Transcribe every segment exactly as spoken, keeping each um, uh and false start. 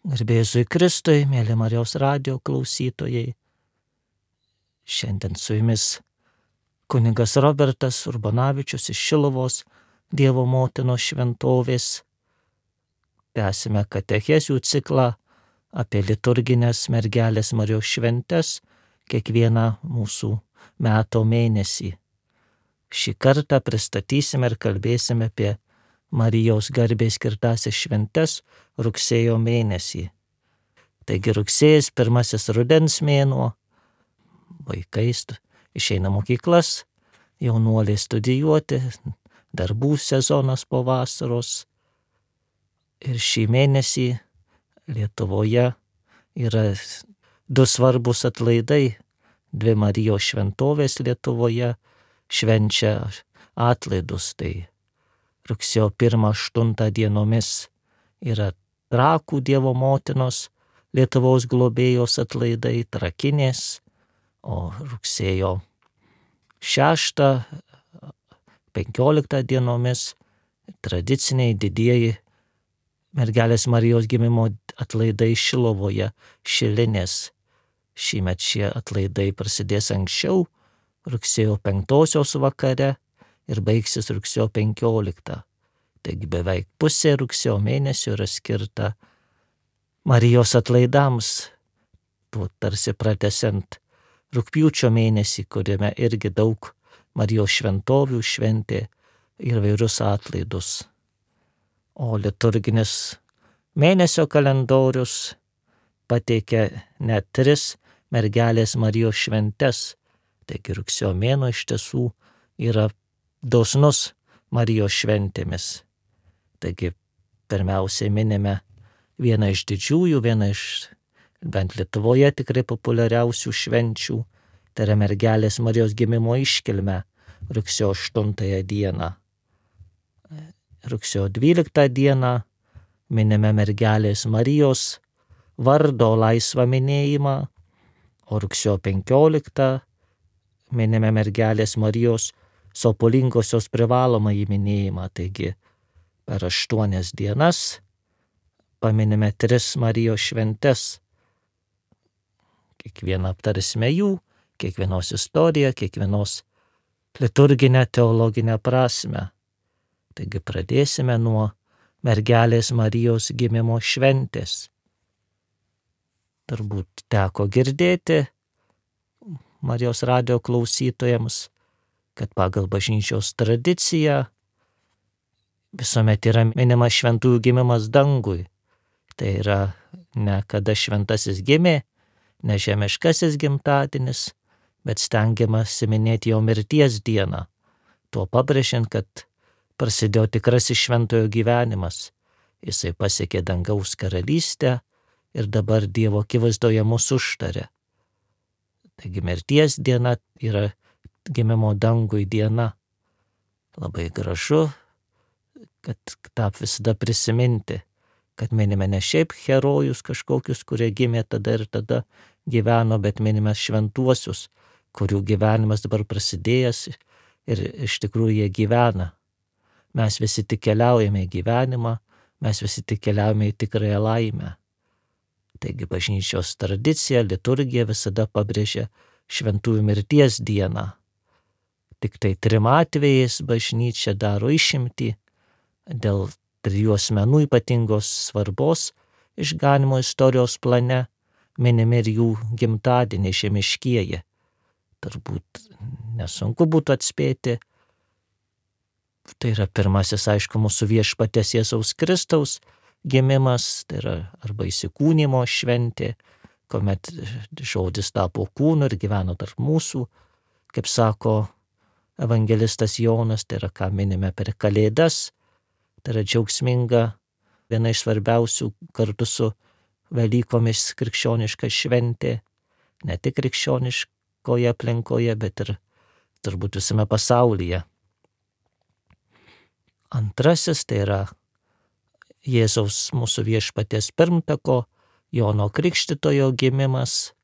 Garbė Jėzui Kristui, mėly Marijos radijo klausytojai. Šiandien su jumis kunigas Robertas Urbonavičius iš Šiluvos Dievo motinos šventovės. Tęsime katechezių ciklą apie liturginės mergelės Marijos šventes kiekvieną mūsų metų mėnesį. Šį kartą pristatysime ir kalbėsime apie Marijos garbei skirtąsias šventes rugsėjo mėnesį. Taigi rugsėjas pirmasis rudens mėnuo, vaikai išeina mokyklas, jaunuoliai studijuoti, darbų sezonas po vasaros. Ir šį mėnesį Lietuvoje yra du svarbus atlaidai. Dvi Marijos šventovės Lietuvoje švenčia atlaidus. Tai rugsėjo pirmą aštuntą dienomis yra Trakų Dievo motinos Lietuvos globėjos atlaidai, Trakinės, o rugsėjo šeštą penkioliktą dienomis tradiciniai didieji mergelės Marijos gimimo atlaidai Šilovoje, Šilinės. Šįmet šie atlaidai prasidės anksčiau, rugsėjo penktosios vakare ir baigsis rugsėjo penkioliktą. Taigi beveik pusė rugsėjo mėnesio yra skirta Marijos atlaidams, tuo tarsi pratęsiant rugpjūčio mėnesį, kuriame irgi daug Marijos šventovių šventė ir vairius atlaidus. O liturginis mėnesio kalendorius pateikia net tris mergelės Marijos šventes. Taigi rugsėjo mėnuo iš tiesų yra dosnus Marijos šventėmis. Taigi pirmiausiai minime vieną iš didžiųjų, vieną iš bent Lietuvoje tikrai populiariausių švenčių, tai yra mergelės Marijos gimimo iškilmę rugsėjo aštuntąją dieną. Rugsėjo dvyliktą dieną minime mergelės Marijos vardo laisvą minėjimą, o rugsėjo penkioliktą minime mergelės Marijos sopulingosios privalomąjį minėjimą. Taigi per aštuonias dienas paminime tris Marijos šventes. Kiekvieną aptarsime jų, kiekvienos istoriją, kiekvienos liturginę teologinę prasmę. Taigi pradėsime nuo mergelės Marijos gimimo šventės. Turbūt teko girdėti Marijos radijo klausytojams, kad pagal bažnyčios tradiciją visuomet yra minimas šventųjų gimimas dangui. Tai yra ne kada šventasis gimė, ne žemiškasis gimtadienis, bet stengiamasi minėti jo mirties dieną, tuo pabrėžiant, kad prasidėjo tikrasis šventojo gyvenimas. Jisai pasiekė dangaus karalystę ir dabar Dievo akivaizdoje mus užtarė. Taigi mirties diena yra gimimo dangui diena. Labai gražu, kad tą visada prisiminti, kad minime ne šiaip herojus kažkokius, kurie gimė tada ir tada gyveno, bet minime šventuosius, kurių gyvenimas dabar prasidėjęs ir iš tikrųjų jie gyvena. Mes visi tik keliaujame į gyvenimą, mes visi tik keliaujame į tikrąją laimę. Taigi bažnyčios tradicija, liturgija visada pabrėžia šventųjų mirties dieną. Tik tai trim atvejais bažnyčia daro išimtį dėl trijų asmenų ypatingos svarbos išganymo istorijos plane, minimi ir jų gimtadieniai žemiškieji. Turbūt nesunku būtų atspėti. Tai yra pirmasis, aišku, mūsų viešpaties Jėzaus Kristaus gimimas, tai yra arba įsikūnimo šventė, kuomet žodis tapo kūnu ir gyveno tarp mūsų, kaip sako evangelistas Jonas, tai yra ką minime per Kalėdas, tai yra džiaugsminga, viena iš svarbiausių kartu su Velykomis krikščioniška šventė, ne tik krikščioniškoje aplinkoje, bet ir turbūt visame pasaulyje. Antrasis tai yra Jėzaus mūsų viešpaties pirmtako Jono Krikštytojo gimimas,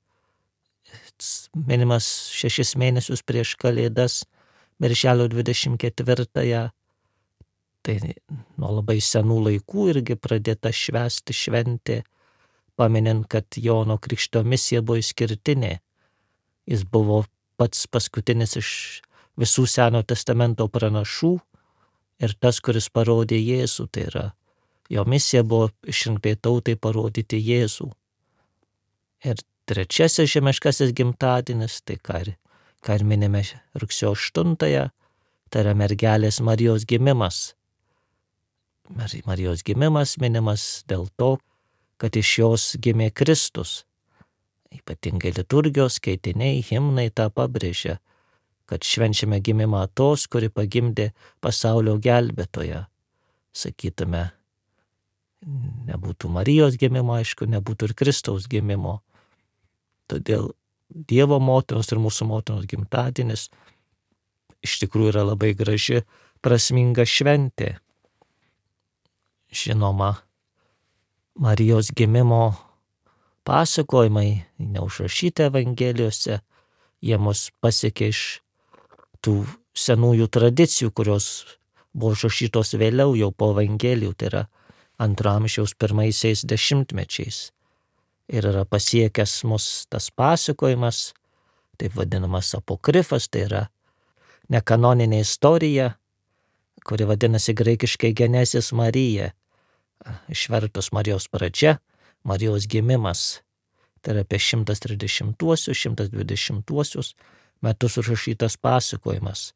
minimas šešis mėnesius prieš Kalėdas, birželio dvidešimt ketvirtąją. Tai nuo labai senų laikų irgi pradėta švęsti šventė, paminint, kad Jono Krikšto misija buvo išskirtinė. Jis buvo pats paskutinis iš visų Seno testamento pranašų ir tas, kuris parodė Jėzų, tai yra jo misija buvo išrinktai tautai parodyti Jėzų. Ir trečiasis žemiškasis gimtadienis, tai ką ir, ką ir minime rugsėjo aštuntąją, tai yra mergelės Marijos gimimas. Marijos gimimas minimas dėl to, kad iš jos gimė Kristus. Ypatingai liturgijos skaitiniai, himnai tą pabrėžia, kad švenčiame gimimą tos, kuri pagimdė pasaulio gelbėtoją. Sakytume, nebūtų Marijos gimimo, aišku, nebūtų ir Kristaus gimimo. Todėl Dievo motinos ir mūsų motinos gimtadienis iš tikrųjų yra labai graži, prasminga šventė. Žinoma, Marijos gimimo pasakojimai neužrašyti Evangelijose, jie mus pasiekė iš tų senųjų tradicijų, kurios buvo užrašytos vėliau jau po Evangelijų, tai yra antro amžiaus pirmaisiais dešimtmečiais. Ir yra pasiekęs mus tas pasakojimas, taip vadinamas apokrifas, tai yra nekanoninė istorija, kuri vadinasi graikiškai Genesis Marija, išvertus Marijos pradžia, Marijos gimimas. Tai yra apie šimtas trisdešimtuosius, šimtas dvidešimtuosius metus užrašytas pasakojimas,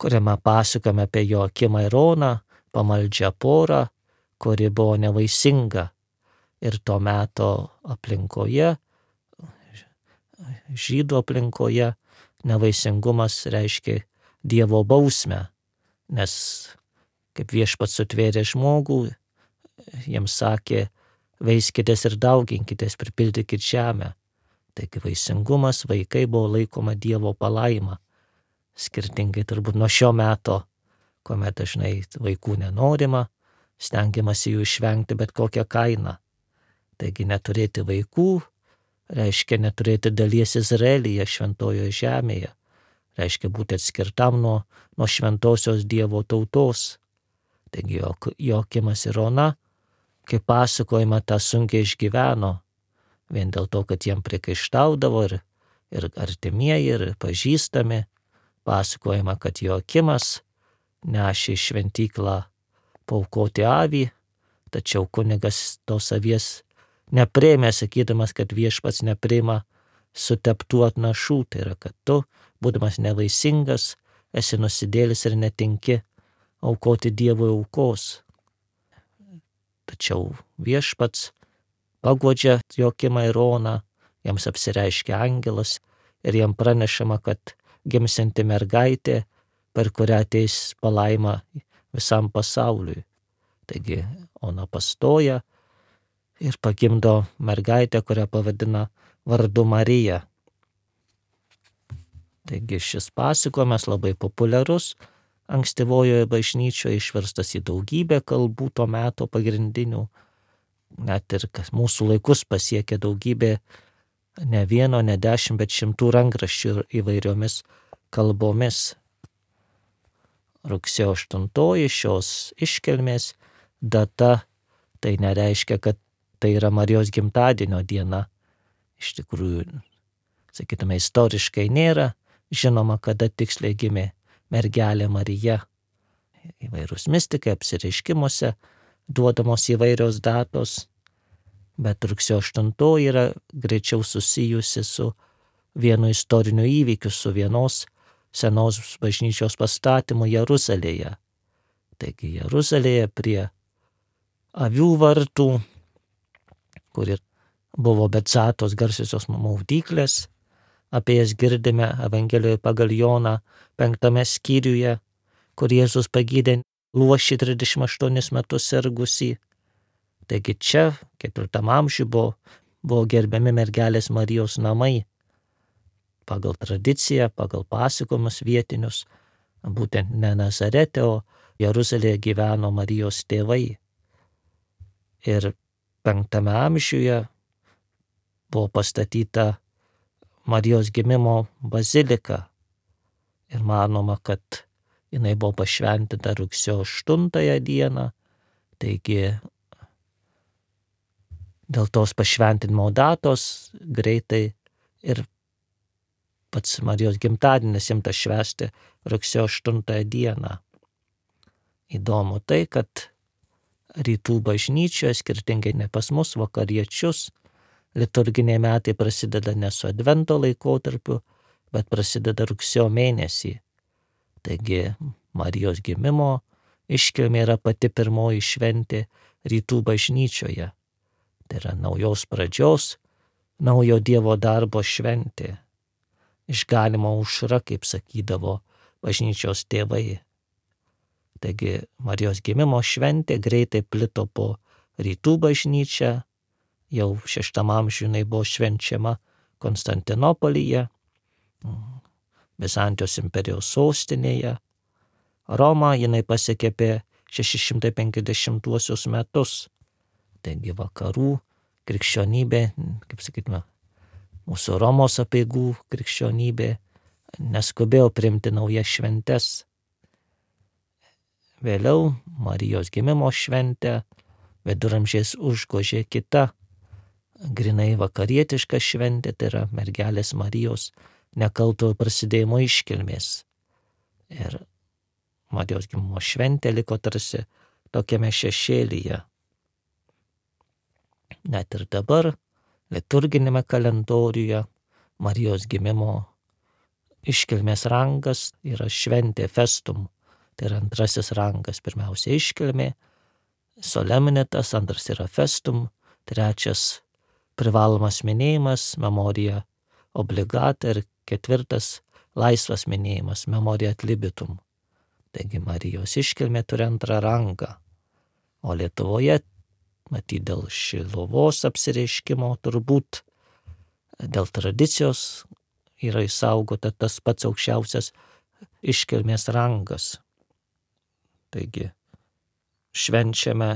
kuriame pasakojame apie Joakimą ir Oną, pamaldžią porą, kuri buvo nevaisinga. Ir to meto aplinkoje, žydų aplinkoje, nevaisingumas reiškia Dievo bausmę, nes kaip Viešpats sutvėrė žmogų, jiems sakė, veiskitės ir dauginkitės, pripildykit žemę. Taigi vaisingumas, vaikai buvo laikoma Dievo palaima. Skirtingai turbūt nuo šio meto, kuomet dažnai vaikų nenorima, stengiamasi jų išvengti bet kokią kainą. Taigi neturėti vaikų reiškia neturėti dalies Izraelyje, šventojoje žemėje. Reiškia būti atskirtam nuo, nuo šventosios Dievo tautos. Taigi Joakimas ir Ona, kaip pasakojama, tą sunkiai išgyveno, vien dėl to, kad jiem priekaištaudavo ir, ir artimieji, ir pažįstami. Pasakojama, kad Joakimas nešė į šventyklą paaukoti avį, tačiau kunigas tos avies nepriėmė, sakydamas, kad Viešpats nepriima suteptų atnašų, tai yra, kad tu, būdamas nevaisingas, esi nusidėlis ir netinki aukoti Dievui aukos. Tačiau Viešpats paguodžia Joakimą ir Oną, jiems apsireiškia angelas ir jiem pranešama, kad gimsianti mergaitė, per kurią ateis palaima visam pasauliui. Taigi Ona pastoja ir pagimdo mergaitę, kurią pavadina vardu Marija. Taigi šis pasakojimas labai populiarus ankstyvojoje bažnyčioje, išverstas į daugybę kalbų to meto pagrindinių. Net ir mūsų laikus pasiekė daugybė, ne vieno, ne dešimt, bet šimtų rankraščių įvairiomis kalbomis. Rugsėjo aštuntoji šios iškilmės data, tai nereiškia, kad tai yra Marijos gimtadienio diena. Iš tikrųjų, sakytume, istoriškai nėra žinoma, kada tiksliai gimė mergelė Marija. Įvairūs mistikai apsireiškimuose duodamos įvairios datos, bet rugsėjo aštuntoji yra greičiau susijusi su vienu istoriniu įvykiu, su vienos senos bažnyčios pastatymu Jeruzalėje. Taigi Jeruzalėje prie avių vartų, kur ir buvo Betzatos garsiosios maudyklės, apie jas girdime Evangelijoje pagal Joną penktame skyriuje, kur Jėzus pagydė luošį trisdešimt aštuonis metus sergusį. Taigi čia, ketvirtam amžiuje, buvo, buvo gerbiami mergelės Marijos namai. Pagal tradiciją, pagal pasakojimus vietinius, būtent ne Nazarete, o Jeruzalėje gyveno Marijos tėvai. Ir penktame amžiuje buvo pastatyta Marijos gimimo bazilika ir manoma, kad jinai buvo pašventinta rugsėjo aštuntąją dieną, taigi dėl tos pašventinimo datos greitai ir pats Marijos gimtadienis imtas švęsti rugsėjo aštuntąją dieną. Įdomu tai, kad rytų bažnyčioje, skirtingai ne pas mus, vakariečius, liturginiai metai prasideda ne su advento laikotarpiu, bet prasideda rugsėjo mėnesį. Taigi Marijos gimimo iškilmė yra pati pirmoji šventė rytų bažnyčioje. Tai yra naujos pradžios, naujo Dievo darbo šventė. Išganimo aušra, kaip sakydavo bažnyčios tėvai. Taigi Marijos gimimo šventė greitai plito po rytų bažnyčią, jau šeštam amžiuje jinai buvo švenčiama Konstantinopolyje, Bizantijos imperijos sostinėje. Romą jinai pasiekė apie šeši šimtai penkiasdešimtuosius metus. Taigi vakarų krikščionybė, kaip sakytume, mūsų Romos apeigų krikščionybė neskubėjo priimti naujas šventes. Vėliau Marijos gimimo šventę viduramžiais užgožė kita, grinai vakarietiška šventė, tai yra mergelės Marijos nekaltojo prasidėjimo iškilmės. Ir Marijos gimimo šventė liko tarsi tokiame šešėlyje. Net ir dabar liturginėme kalendoriuje Marijos gimimo iškilmės rangas yra šventė festum. Tai yra antrasis rangas, pirmiausia iškilmė, solemnitas, antras yra festum, trečias privalomas minėjimas, memorija obligata ir ketvirtas laisvas minėjimas, memorija ad libitum. Taigi Marijos iškilmė turi antrą rangą. O Lietuvoje, matyt, dėl Šiluvos apsireiškimo, turbūt dėl tradicijos yra išsaugota tas pats aukščiausias iškilmės rangas. Taigi švenčiame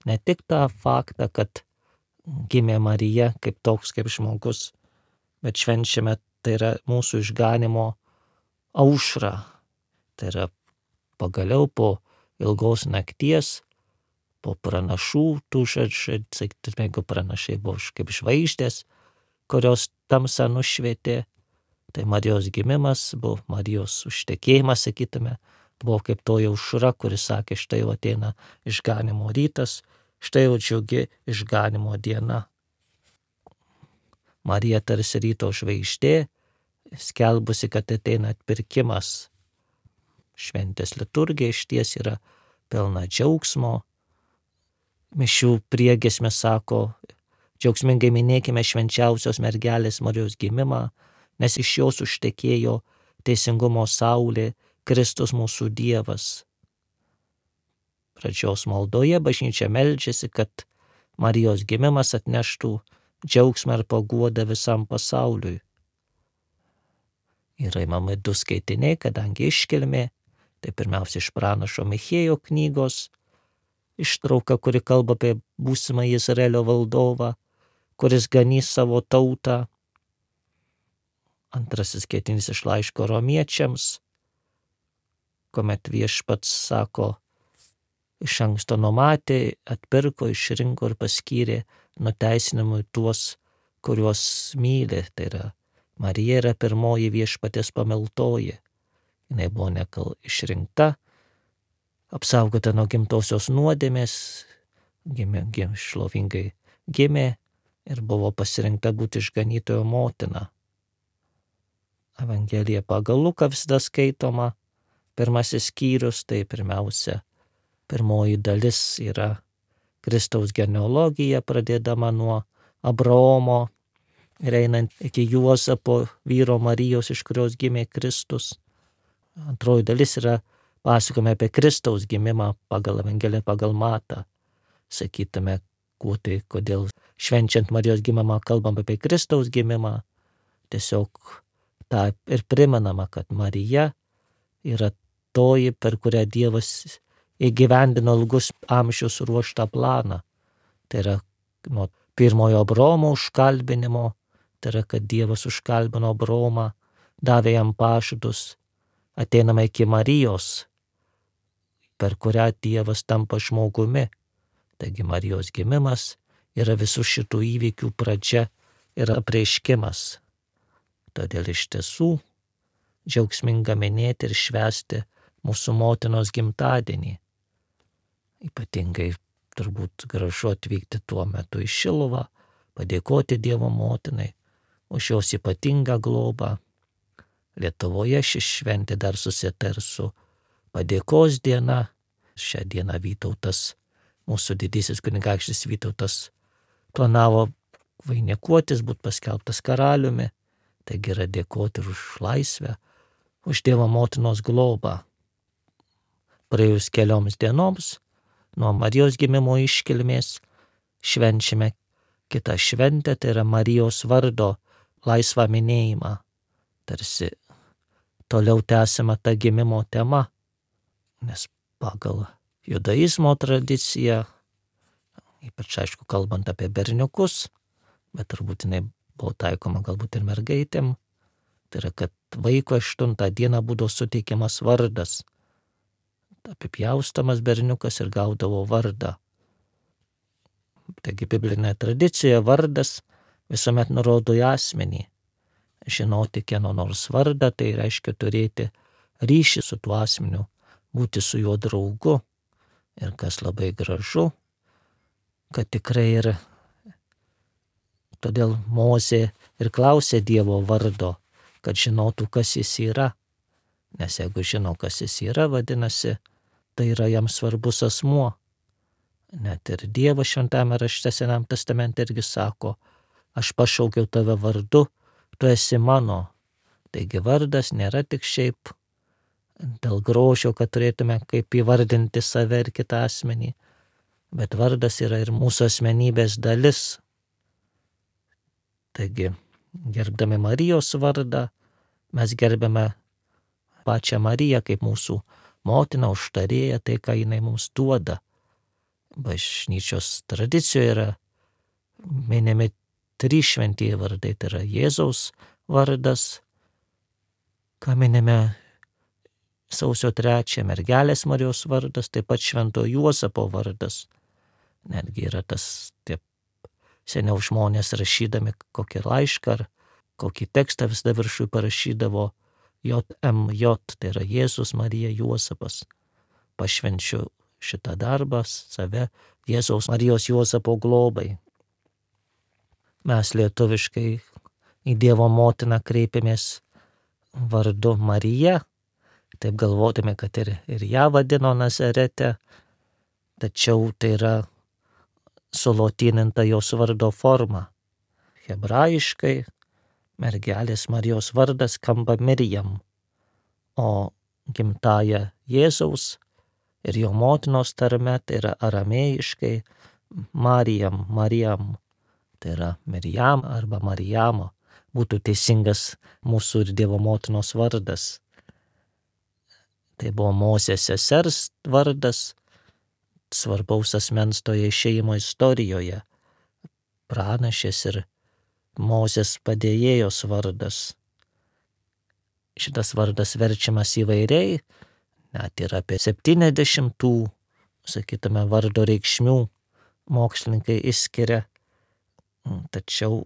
ne tik tą faktą, kad gimė Marija kaip toks kaip žmogus, bet švenčiame tai yra mūsų išganimo aušrą. Tai yra pagaliau po ilgos nakties, po pranašų, tų žodžių, sakytume, jeigu pranašai buvo kaip žvaigždės, kurios tamsą nušvietė, tai Marijos gimimas buvo Marijos užtekėjimas, sakytume, buvo kaip toji aušra, kuris sakė, štai jau ateina išganimo rytas, štai jau džiugi išganimo diena. Marija tarsi ryto žvaigždė, skelbusi, kad ateina atpirkimas. Šventės liturgija išties yra pilna džiaugsmo. Mišių priegiesmė sako, džiaugsmingai minėkime švenčiausios mergelės Marijos gimimą, nes iš jos užtekėjo teisingumo saulė, Kristus mūsų Dievas. Pradžios maldoje bažnyčia meldžiasi, kad Marijos gimimas atneštų džiaugsmą ir paguodą visam pasauliui. Yra imami du skaitiniai, kadangi iškilmė, tai pirmiausia iš pranašo Michėjo knygos, ištrauka, kuri kalba apie būsimą Izraelio valdovą, kuris ganys savo tautą. Antrasis skaitinys iš laiško romiečiams, kuomet viešpats sako, iš anksto numatė, atpirko, išrinko ir paskyrė nuteisinimui tuos, kuriuos myli. Tai yra, Marija yra pirmoji viešpatės pamiltoji. Jinai buvo nekal išrinkta, apsaugota nuo gimtosios nuodėmės, gimė, gimė, šlovingai gimė ir buvo pasirinkta būti išganytojo motina. Evangelija pagal Luką visada skaitoma. Pirmasis skyrius, tai pirmiausia, pirmoji dalis yra Kristaus genealogija, pradėdama nuo Abraomo ir einant iki Juozapo, vyro Marijos, iš kurios gimė Kristus. Antroji dalis yra pasakojama apie Kristaus gimimą pagal Evangeliją, pagal Matą. Sakytume, kuo tai, kodėl švenčiant Marijos gimimą kalbam apie Kristaus gimimą. Tiesiog tą ir primenama, kad Marija yra toji, per kurią Dievas įgyvendino ilgus amžius ruoštą planą. Tai yra nuo pirmojo Abraomo užkalbinimo, tai yra, kad Dievas užkalbino Abraomą, davė jam pažadus, ateinama iki Marijos, per kurią Dievas tampa žmogumi. Taigi Marijos gimimas yra visų šitų įvykių pradžia ir apreiškimas. Todėl iš tiesų džiaugsminga minėti ir švęsti mūsų motinos gimtadienį. Ypatingai turbūt gražu atvykti tuo metu į Šiluvą, padėkoti Dievo motinai už jos ypatingą globą. Lietuvoje ši šventė dar susita ir su padėkos diena. Šią dieną Vytautas, mūsų didysis kunigaikštis Vytautas, planavo vainikuotis, būt paskelbtas karaliumi. Taigi yra dėkoti už laisvę, už Dievo motinos globą. Praėjus kelioms dienoms nuo Marijos gimimo iškilmės švenčiame kitą šventę, tai yra Marijos vardo laisvą minėjimą. Tarsi toliau tęsiama ta gimimo tema, nes pagal judaizmo tradiciją, ypač aišku kalbant apie berniukus, bet turbūt jinai buvo taikoma galbūt ir mergaitėm, tai yra, kad vaiko aštuntą dieną būdavo suteikiamas vardas. Apipjaustamas berniukas ir gaudavo vardą. Taigi biblinė tradicija vardas visuomet nurodo į asmenį. Žinoti kieno nors vardą, tai reiškia turėti ryšį su tuo asmeniu, būti su juo draugu. Ir kas labai gražu, kad tikrai ir todėl Mozė ir klausė Dievo vardo, kad žinotų, kas jis yra. Nes jeigu žino, kas jis yra, vadinasi, tai yra jam svarbus asmuo. Net ir Dievas šventame rašte Senam testamente irgi sako, aš pašaukiau tave vardu, tu esi mano. Taigi vardas nėra tik šiaip dėl grožio, kad turėtume kaip įvardinti save ir kitą asmenį, bet vardas yra ir mūsų asmenybės dalis. Taigi, gerbdami Marijos vardą, mes gerbėme pačią Mariją kaip mūsų motiną, užtarėją, tai ką jinai mums duoda. Bažnyčios tradicijoje yra minimi trys šventieji vardai, tai yra Jėzaus vardas, ką minime sausio trečią, mergelės Marijos vardas, taip pat Švento Juozapo vardas. Netgi yra tas, taip, seniau žmonės rašydami kokį laišką ar kokį tekstą visada viršui parašydavo J M J, tai yra Jėzus Marija Juozapas. Pašvenčiu šitą darbą save Jėzaus Marijos Juozapo globai. Mes lietuviškai į Dievo motiną kreipiamės vardu Marija, taip galvodami, kad ir, ir ją vadino Nazarete, tačiau tai yra sulotyninta jos vardo forma. Hebrajiškai mergelės Marijos vardas skamba Mirjam, o gimtaja Jėzaus ir jo motinos tarme tai yra aramėjiškai Marijam, Marijam, tai yra Mirjam arba Marijamo, būtų teisingas mūsų ir Dievo motinos vardas. Tai buvo Mozės sesers vardas, svarbaus asmens toje išėjimo istorijoje, pranašės ir Mozės padėjėjos vardas. Šitas vardas verčiamas įvairiai, net ir apie septyniasdešimt tų, sakytume, vardo reikšmių mokslininkai išskiria, tačiau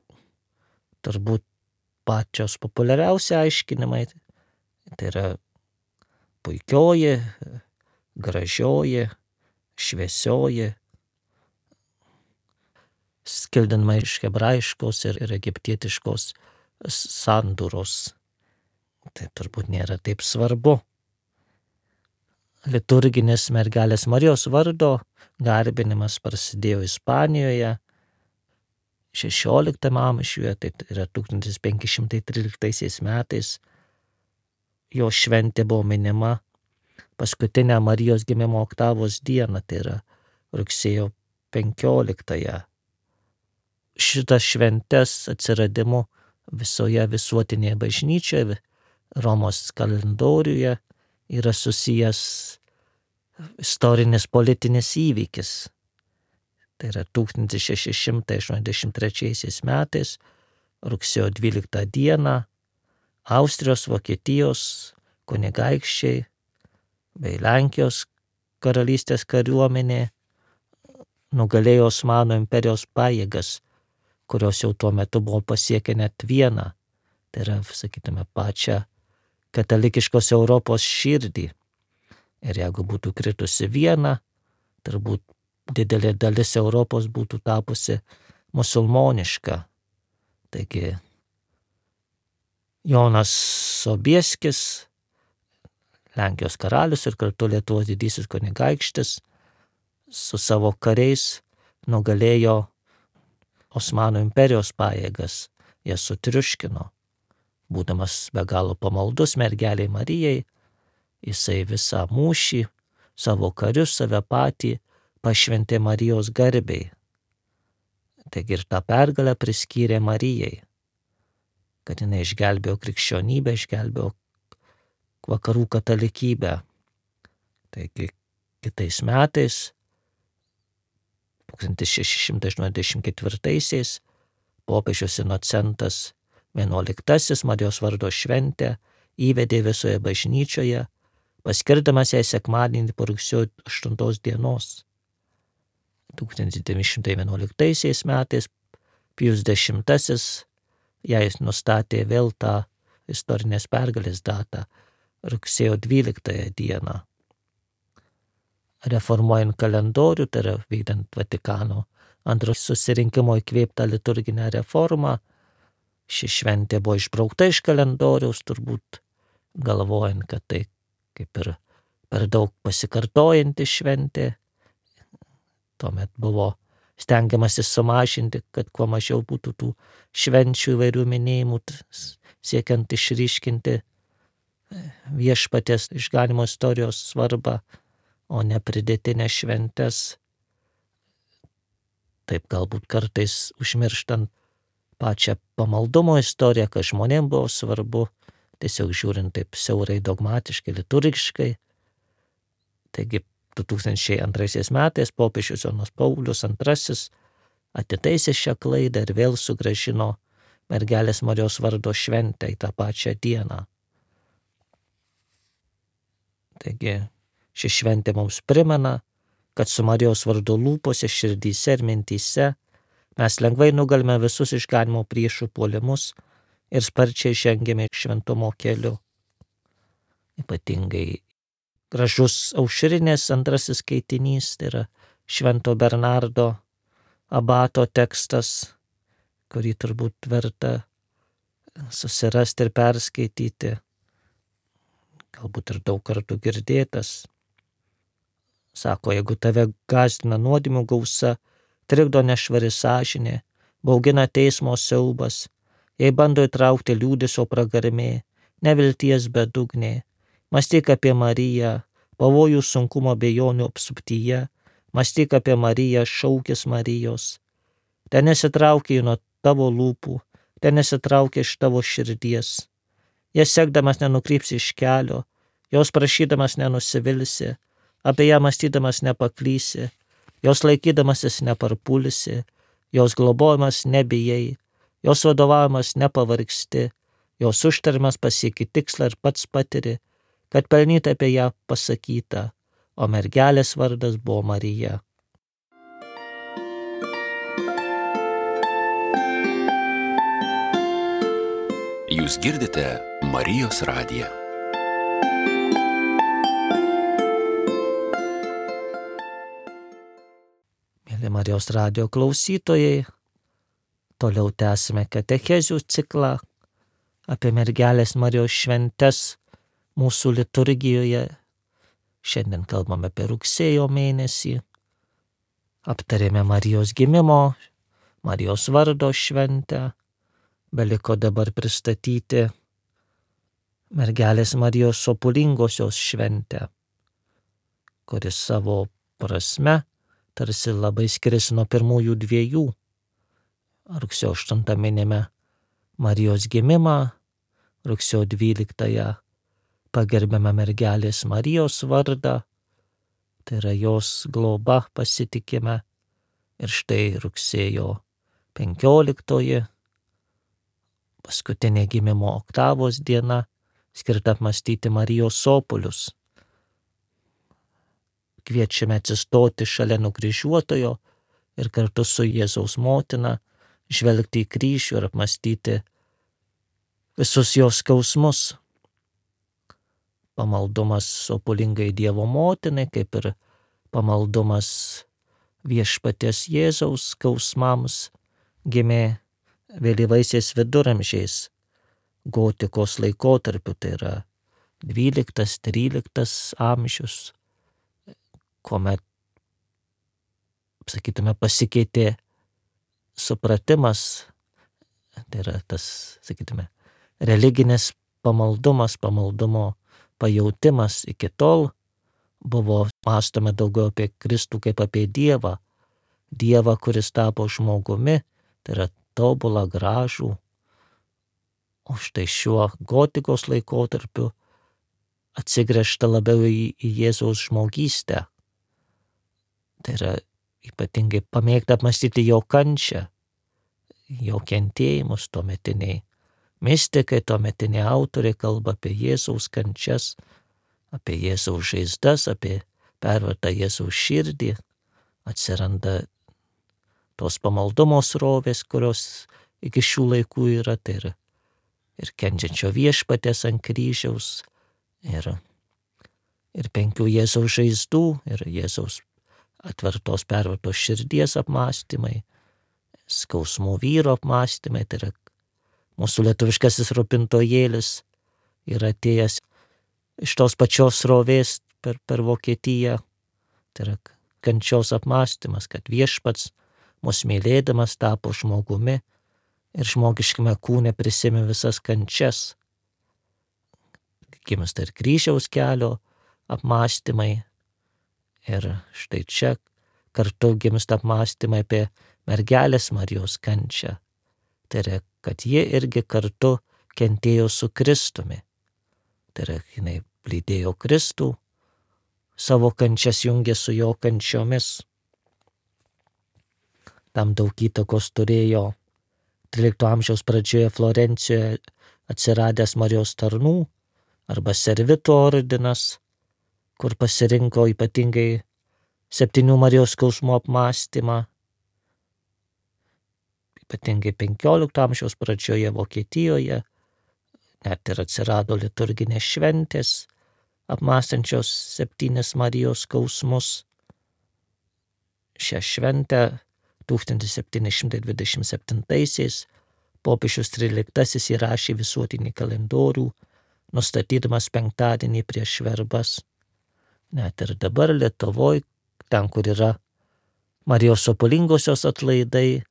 turbūt pačios populiariausi aiškinimai tai yra puikioji, gražioji, šviesioji, skildinama iš hebrajiškos ir, ir egiptietiškos sandūros. Tai turbūt nėra taip svarbu. Liturginis mergelės Marijos vardo garbinimas prasidėjo Ispanijoje šešioliktame amžiuje, tai yra tūkstantis penki šimtai tryliktaisiais metais. Jo šventė buvo minima paskutinę Marijos gimimo oktavos dieną, tai yra rugsėjo penkioliktąją. Šitas šventes atsiradimu visoje visuotinėje bažnyčioje, Romos kalendoriuje yra susijęs istorinis politinis įvykis. Tai yra tūkstantis šeši šimtai aštuoniasdešimt trečiaisiais metais, rugsėjo dvyliktą dieną, Austrijos, Vokietijos kunigaikščiai bei Lenkijos karalystės kariuomenė nugalėjo Osmanų imperijos pajėgas, kurios jau tuo metu buvo pasiekę net vieną, tai yra, sakytume, pačią katalikiškos Europos širdį. Ir jeigu būtų kritusi viena, turbūt didelė dalis Europos būtų tapusi musulmoniška. Taigi Jonas Sobieskis, Lenkijos karalius ir kartu Lietuvos didysis kunigaikštis, su savo kariais nugalėjo Osmanų imperijos pajėgas, jas sutriuškino. Būdamas be galo pamaldus mergeliai Marijai, jisai visą mūšį, savo karius, save patį pašventė Marijos garbei. Taigi ir tą pergalę priskyrė Marijai, kad jinai išgelbėjo krikščionybę, išgelbėjo vakarų katalikybę. Taigi kitais metais, tūkstantis šeši šimtai aštuoniasdešimt ketvirtaisiais, popiežius Inocentas vienuoliktasis Marijos vardo šventę įvedė visoje bažnyčioje, paskirdamas jai sekmadienį po rugsėjo aštuntos dienos. tūkstantis devyni šimtai vienuoliktaisiais metais Pijus dešimtasis jai nustatė vėl tą istorinės pergalės datą, rugsėjo dvyliktąją dieną. Reformuojant kalendorių, tai yra vykdant Vatikano antro susirinkimo įkvėptą liturginę reformą, ši šventė buvo išbraukta iš kalendoriaus, turbūt galvojant, kad tai kaip ir per daug pasikartojanti šventė. Tuomet buvo stengiamasi sumažinti, kad kuo mažiau būtų tų švenčių įvairių minėjimų, siekiant išryškinti viešpaties išganymo istorijos svarbą, o ne pridėtinės šventes. Taip galbūt kartais užmirštant pačią pamaldumo istoriją, kas žmonėms buvo svarbu, tiesiog žiūrint taip siaurai dogmatiškai, liturgiškai. Taigi du tūkstančiai antraisiais metais popiežius Jonas Paulius antrasis atitaisė šią klaidą ir vėl sugrąžino mergelės Marijos vardo šventę į tą pačią dieną. Taigi ši šventė mums primena, kad su Marijos vardu lūpose, širdyse ir mintyse mes lengvai nugalime visus išganymo priešų puolimus ir sparčiai žengiame šventumo keliu. Ypatingai gražus aušrinės antrasis skaitinys, tai yra Švento Bernardo abato tekstas, kurį turbūt verta susirasti ir perskaityti, galbūt ir daug kartų girdėtas. Sako, jeigu tave gąsdina nuodėmių gausa, trikdo nešvari sąžinė, baugina teismo siaubas, jei bando įtraukti liūdesio pragarmė, nevilties bedugnė, mąstyk apie Mariją, pavojų sunkumo bejonių apsuptyje, mąstyk apie Mariją, šaukis Marijos. Ten nesitraukia nuo tavo lūpų, ten nesitraukia iš tavo širdies. Jas sekdamas nenukrypsi iš kelio, jos prašydamas nenusivilsi, apie ją mąstydamas nepaklysi, jos laikydamasis neparpulsi, jos globojimas nebijai, jos vadovavimas nepavargsti, jos užtarimas pasieki tikslą ir pats patiri, kad pelnytai apie ją pasakyta, o mergelės vardas buvo Marija. Jūs girdite Marijos radiją. Mėly Marijos radijo klausytojai, toliau tęsime katechezių ciklą apie mergelės Marijos šventes mūsų liturgijoje. Šiandien kalbame apie rugsėjo mėnesį, aptarėme Marijos gimimo, Marijos vardo šventę, beliko dabar pristatyti mergelės Marijos sopulingosios šventę, kuris savo prasme tarsi labai skiriasi nuo pirmųjų dviejų. Rugsėjo aštuntą minime Marijos gimimą, rugsėjo dvyliktąją pagerbiame mergelės Marijos vardą, tai yra jos globa pasitikime, ir štai rugsėjo penkioliktoji, paskutinė gimimo oktavos diena, skirta apmąstyti Marijos sopulius. Kviečiame atsistoti šalia nukryžiuotojo, ir kartu su Jėzaus motina žvelgti į kryžių ir apmastyti visus jos skausmus. Pamaldumas sopulingai Dievo motinai, kaip ir pamaldumas viešpaties Jėzaus skausmams, gimė vėlyvaisiais viduramžiais, gotikos laikotarpiu, tai yra dvyliktas tryliktas amžius, kuomet, sakytume, pasikeitė supratimas, tai yra tas, sakytume, religinis pamaldumas, pamaldumo pajautimas. Iki tol buvo mąstoma daugiau apie Kristų kaip apie Dievą, Dievą, kuris tapo žmogumi, tai yra tobulą, gražų. O štai šiuo gotikos laikotarpiu atsigręžta labiau į, į Jėzaus žmogystę. Tai yra ypatingai pamėgta apmastyti jo kančią, jo kentėjimus. Tuometiniai mistikai, tuometiniai autoriai kalba apie Jėzaus kančias, apie Jėzaus žaizdas, apie pervartą Jėzaus širdį. Atsiranda tos pamaldumo srovės, kurios iki šių laikų yra, tai yra ir kenčiančio viešpaties ant kryžiaus, ir, ir penkių Jėzaus žaizdų, ir Jėzaus atvertos pervartos širdies apmąstymai, skausmų vyro apmąstymai. Tai yra mūsų lietuviškasis rūpintojėlis yra atėjęs iš tos pačios srovės per, per Vokietiją. Tai yra kančios apmąstymas, kad viešpats mus mylėdamas tapo žmogumi ir žmogiškame kūne prisėmė visas kančias. Gimsta ir kryžiaus kelio apmąstymai. Ir štai čia kartu gimsta apmąstymai apie mergelės Marijos kančią. Tai yra, kad ji irgi kartu kentėjo su Kristumi. Tai yra, jinai lydėjo Kristų, savo kančias jungė su jo kančiomis. Tam daug įtakos turėjo trylikto amžiaus pradžioje Florencijoje atsiradęs Marijos tarnų arba servitų ordinas, kur pasirinko ypatingai septynių Marijos skausmų apmąstymą. Ypatingai penkiolikto amžiaus pradžioje Vokietijoje net ir atsirado liturginės šventės apmąstančios septynis Marijos skausmus. Šią šventę tūkstantis septyni šimtai dvidešimt septintaisiais popiežius tryliktasis įrašė visuotinį kalendorių, nustatydamas penktadienį prieš verbas. Net ir dabar Lietuvoje, ten, kur yra Marijos sopulingosios atlaidai,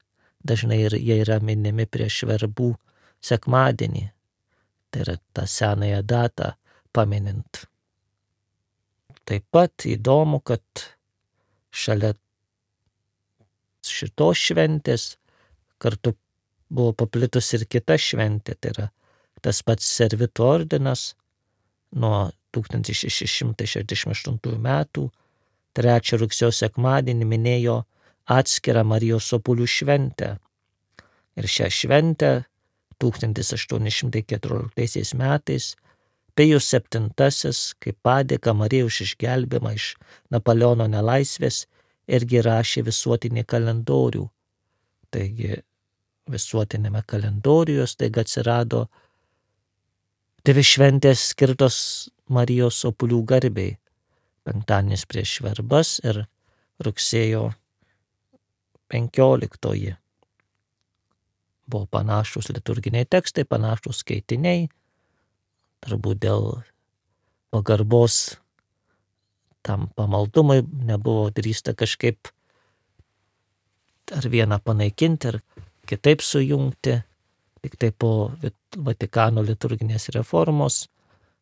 dažnai ir jie yra minimi prieš verbų sekmadienį. Tai yra tą senąją datą paminint. Taip pat įdomu, kad šalia šitos šventės kartu buvo paplitus ir kita šventė, tai yra tas pats servitų ordinas nuo tūkstantis šeši šimtai šešiasdešimt aštuntųjų metų trečią rugsėjo sekmadienį minėjo atskirą Marijos sopulių šventę. Ir šią šventę tūkstantis aštuoni šimtai keturioliktaisiais metais Pijus septintasis, kaip padėką Marijai už išgelbėjimą iš Napoleono nelaisvės, irgi rašė visuotinį kalendorių. Taigi visuotinėme kalendoriuje staiga atsirado dvi šventės skirtos Marijos sopulių garbei. Penktadienis prieš verbas ir rugsėjo penkioliktoji. Buvo panašus liturginiai tekstai, panašus skaitiniai. Turbūt dėl pagarbos tam pamaldumui nebuvo drįsta kažkaip ar vieną panaikinti, ar kitaip sujungti. Tik tai po Vatikano liturginės reformos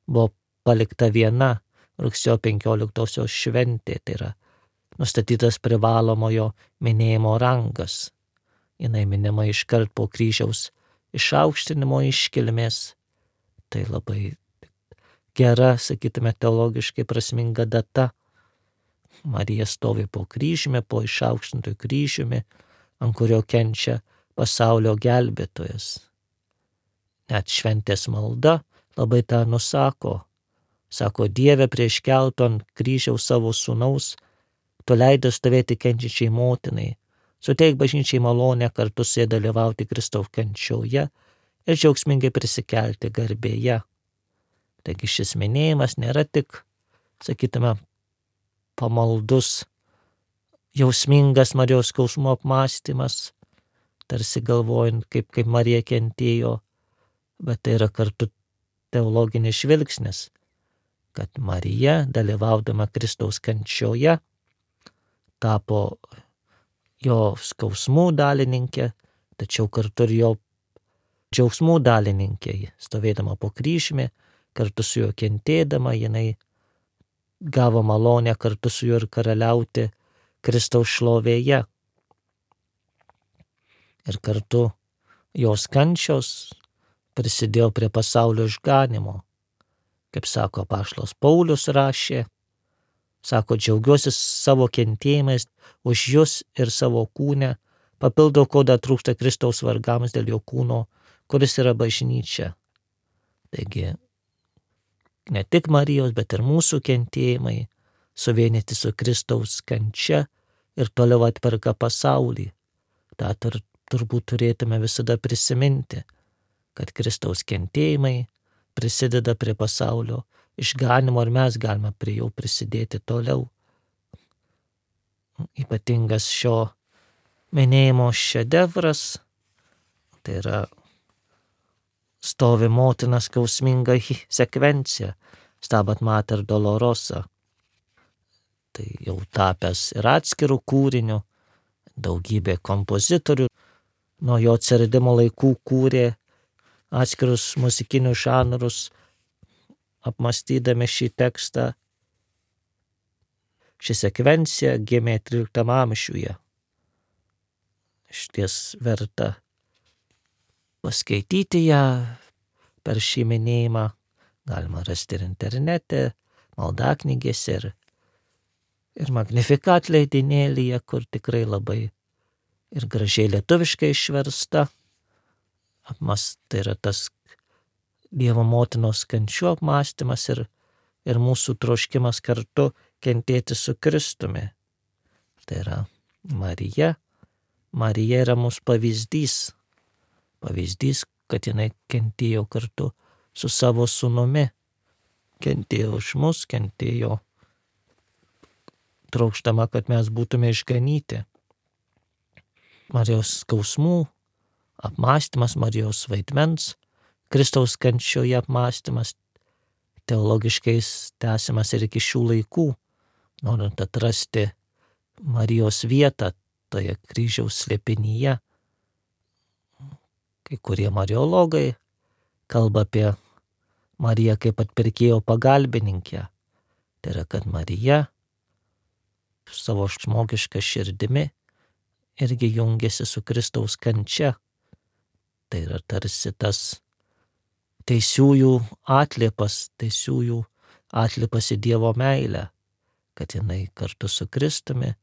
buvo palikta viena rugsėjo penkioliktosios šventė, tai yra nustatytas privalomojo minėjimo rangas. Jinai minima iškart po kryžiaus išaukštinimo iškilmės. Tai labai gera, sakytume, teologiškai prasminga data. Marija stovi po kryžiumi, po išaukštintojų kryžiumi, ant kurio kenčia pasaulio gelbėtojas. Net šventės malda labai tą nusako. Sako, Dieve, prieš keltų ant kryžiaus savo sūnaus, tu leidai stovėti kenčiančiai motinai, Suteik bažnyčiai malonę kartu su ja dalyvauti Kristaus kančioje ir džiaugsmingai prisikelti garbėje. Taigi šis minėjimas nėra tik, sakytume, pamaldus, jausmingas Marijos skausmo apmąstymas, tarsi galvojant, kaip, kaip Marija kentėjo, bet tai yra kartu teologinis žvilgsnis, kad Marija, dalyvaudama Kristaus kančioje, tapo jo skausmų dalininkė, tačiau kartu ir jo džiaugsmų dalininkė. Stovėdama po kryžiumi, kartu su juo kentėdama, jinai gavo malonę kartu su juo ir karaliauti Kristaus šlovėje. Ir kartu jos kančios prisidėjo prie pasaulio išganimo. Kaip sako apaštalas Paulius rašė, sako, džiaugiuosi savo kentėjimais už jus ir savo kūne, papildau, ko dar trūksta Kristaus vargams dėl jo kūno, kuris yra bažnyčia. Taigi, ne tik Marijos, bet ir mūsų kentėjimai suvienyti su Kristaus kančia ir toliau atperka pasaulį. Ta tur, turbūt turėtume visada prisiminti, kad Kristaus kentėjimai prisideda prie pasaulio išganimo ir mes galime prie jo prisidėti toliau. Ypatingas šio minėjimo šedevras, tai yra stovi motina skausminga sekvencija, Stabat Mater Dolorosa. Tai jau tapęs ir atskirų kūrinių, daugybė kompozitorių nuo jo atsiradimo laikų kūrė atskirus muzikinius žanrus, apmąstydami šį tekstą. Ši sekvencija gimė tryliktam amžiuje. Išties verta paskaityti ją per šį minėjimą. Galima rasti ir internete, maldaknygėse ir, ir Magnificat leidinėlyje, kur tikrai labai ir gražiai lietuviškai išversta. Apmas, tai yra tas Dievo motinos kančių apmąstymas ir, ir mūsų troškimas kartu kentėti su Kristumi. Tai yra Marija. Marija yra mūsų pavyzdys. Pavyzdys, kad jinai kentėjo kartu su savo sūnumi. Kentėjo už mus, kentėjo trokštama, kad mes būtume išganyti. Marijos skausmų apmąstymas, Marijos vaidmens, Kristaus kančioje apmąstymas, teologiškai tęsiamas ir iki šių laikų, norint atrasti Marijos vietą toje kryžiaus slėpinyje. Kai kurie mariologai kalba apie Mariją kaip atpirkėjo pagalbininkę. Tai yra, kad Marija savo žmogišką širdimi irgi jungiasi su Kristaus kančia. Tai yra tarsi tas teisiųjų atliepas, teisiųjų atliepas į Dievo meilę, kad jinai kartu su Kristumi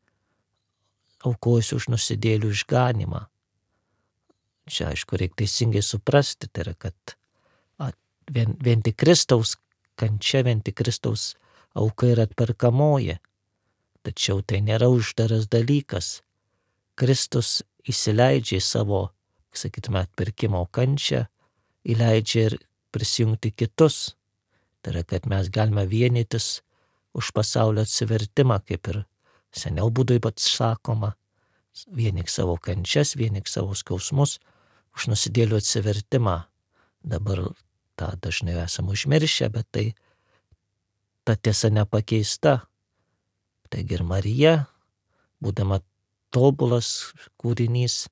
aukojusi už nusidėlių išganimą. Čia, aišku, reikia teisingai suprasti, tai yra, kad vien, vien tik Kristaus kančia, vien tik Kristaus auka yra atperkamoji. Tačiau tai nėra uždaras dalykas. Kristus įsileidžia į savo, sakytume, atpirkimo kančią, įleidžia ir prisijungti kitus. Tai yra, kad mes galime vienytis už pasaulio atsivertimą, kaip ir seniau būdui pats sakoma. Vienyk savo kančias, vienyk savo skausmus už nusidėlių atsivertimą. Dabar tą dažnai esame užmiršę, bet tai ta tiesa nepakeista. Taigi ir Marija, būdama tobulas kūrinys,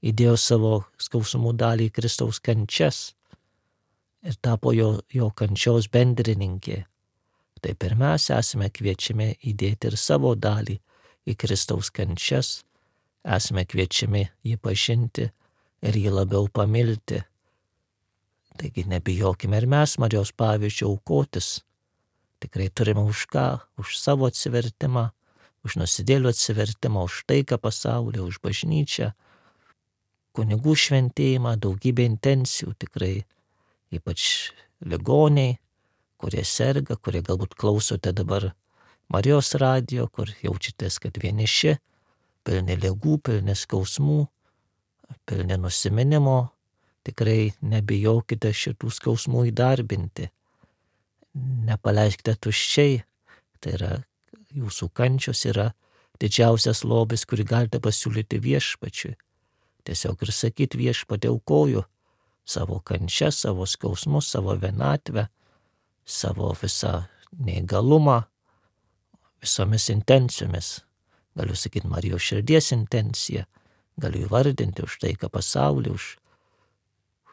įdėjo savo skausmų dalį į Kristaus kančias ir tapo jo, jo kančios bendrininkė. Taip ir mes esame kviečiami įdėti ir savo dalį į Kristaus kančias, esame kviečiami jį pažinti ir jį labiau pamilti. Taigi nebijokime ir mes Marijos pavyzdžių aukotis. Tikrai turime už ką, už savo atsivertimą, už nusidėlių atsivertimą, už taiką pasaulyje, už bažnyčią, kunigų šventėjimą, daugybę intencijų tikrai, ypač ligoniai, kurie serga, kurie galbūt klausote dabar Marijos radijo, kur jaučiatės, kad vieniši, pilni ligų, pilni skausmų, pilni nusiminimo. Tikrai nebijokite šitų skausmų įdarbinti. Nepaleiskite tuščiai. Tai yra, jūsų kančios yra didžiausias lobis, kurį galite pasiūlyti viešpačiui. Tiesiog ir sakyti, viešpatie, aukoju savo kančią, savo skausmus, savo vienatvę, savo visą neįgalumą, visomis intencijomis. Galiu sakyti Marijos širdies intenciją, galiu įvardinti už taiką pasaulį, už,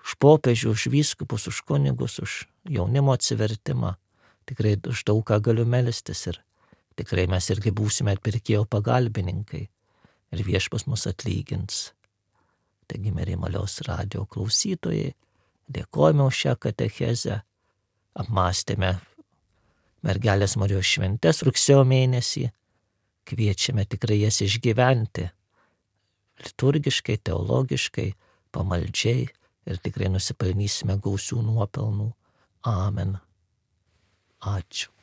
už popiežių, už vyskupus, už kunigus, už jaunimo atsivertimą. Tikrai už daug ką galiu melstis ir tikrai mes irgi būsime atpirkėjo pagalbininkai ir viešpas mus atlygins. Taigi, mieli Marijos radijo klausytojai, dėkojame už šią katechezę, apmąstėme mergelės Marijos šventes rugsėjo mėnesį, kviečiame tikrai jas išgyventi liturgiškai, teologiškai, pamaldžiai ir tikrai nusipelnysime gausių nuopelnų. Amen. Ačiū.